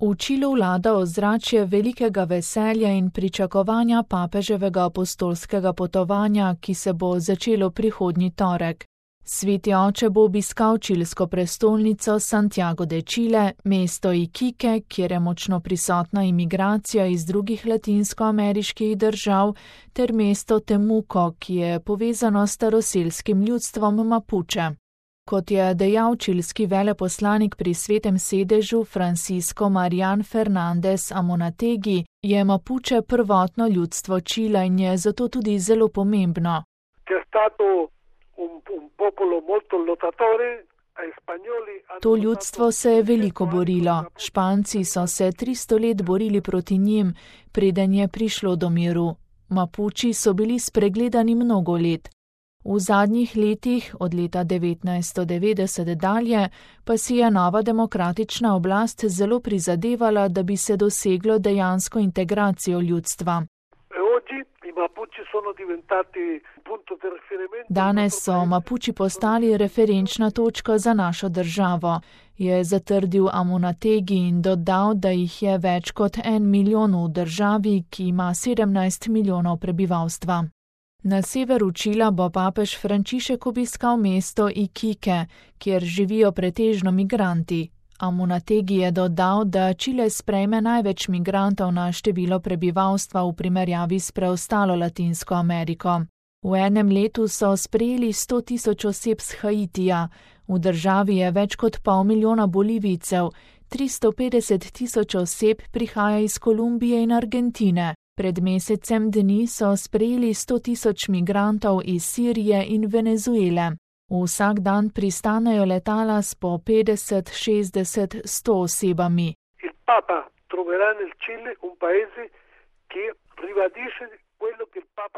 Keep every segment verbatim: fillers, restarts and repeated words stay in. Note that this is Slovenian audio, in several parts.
V Čilu vlada ozračje velikega veselja in pričakovanja papeževega apostolskega potovanja, ki se bo začelo prihodnji torek. Sveti oče bo obiskal čilsko prestolnico Santiago de Chile, mesto Iquique, kjer je močno prisotna imigracija iz drugih latinskoameriških držav, ter mesto Temuco, ki je povezano s staroselskim ljudstvom Mapuche. Kot je dejal čilski veleposlanik pri Svetem sedežu Francisco Marian Fernández Amonategi, je Mapuche prvotno ljudstvo Čila in je zato tudi zelo pomembno. To ljudstvo se je veliko borilo. Španci so se tristo let borili proti njim, preden je prišlo do miru. Mapuči so bili spregledani mnogo let. V zadnjih letih, od leta devetnajststo devetdeset dalje, pa si je nova demokratična oblast zelo prizadevala, da bi se doseglo dejansko integracijo ljudstva. Danes so Mapuči postali referenčna točka za našo državo, je zatrdil Amonategi in dodal, da jih je več kot en milijon v državi, ki ima sedemnajst milijonov prebivalstva. Na severu Čila bo papež Frančišek obiskal mesto Iquique, kjer živijo pretežno migranti. Amonategi je dodal, da Čile sprejme največ migrantov na število prebivalstva v primerjavi s preostalo Latinsko Ameriko. V enem letu so sprejeli sto tisoč oseb z Haitija, v državi je več kot pol milijona Bolivijcev, tristo petdeset tisoč oseb prihaja iz Kolumbije in Argentine. Pred mesecem dni so sprejeli sto tisoč migrantov iz Sirije in Venezuele. Vsak dan pristanejo letala s po petdeset, šestdeset, sto osebami.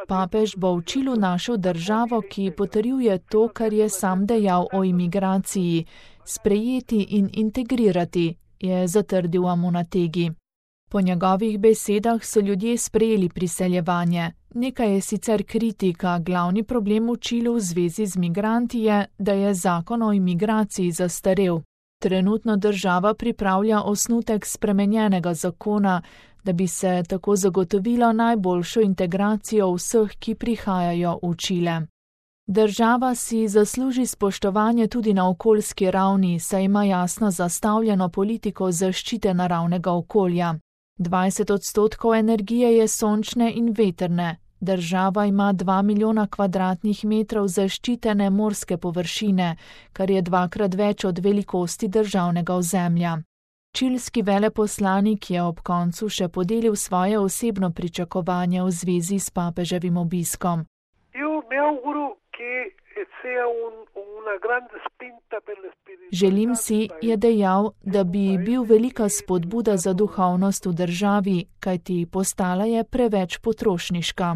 Papež bo v Čilu našel državo, ki potrjuje to, kar je sam dejal o imigraciji, sprejeti in integrirati, je zatrdil Amonategi. Po njegovih besedah so ljudje sprejeli priseljevanje. Nekaj je sicer kritika, glavni problem v Čilu v zvezi z migranti je, da je zakon o imigraciji zastarel. Trenutno država pripravlja osnutek spremenjenega zakona, da bi se tako zagotovilo najboljšo integracijo vseh, ki prihajajo v Čile. Država si zasluži spoštovanje tudi na okoljski ravni, saj ima jasno zastavljeno politiko zaščite naravnega okolja. dvajset odstotkov energije je sončne in vetrne. Država ima dva milijona kvadratnih metrov zaščitene morske površine, kar je dvakrat več od velikosti državnega ozemlja. Čilski veleposlanik je ob koncu še podelil svoje osebno pričakovanje v zvezi s papeževim obiskom. Želim si, je dejal, da bi bil velika spodbuda za duhovnost v državi, kajti postala je preveč potrošniška.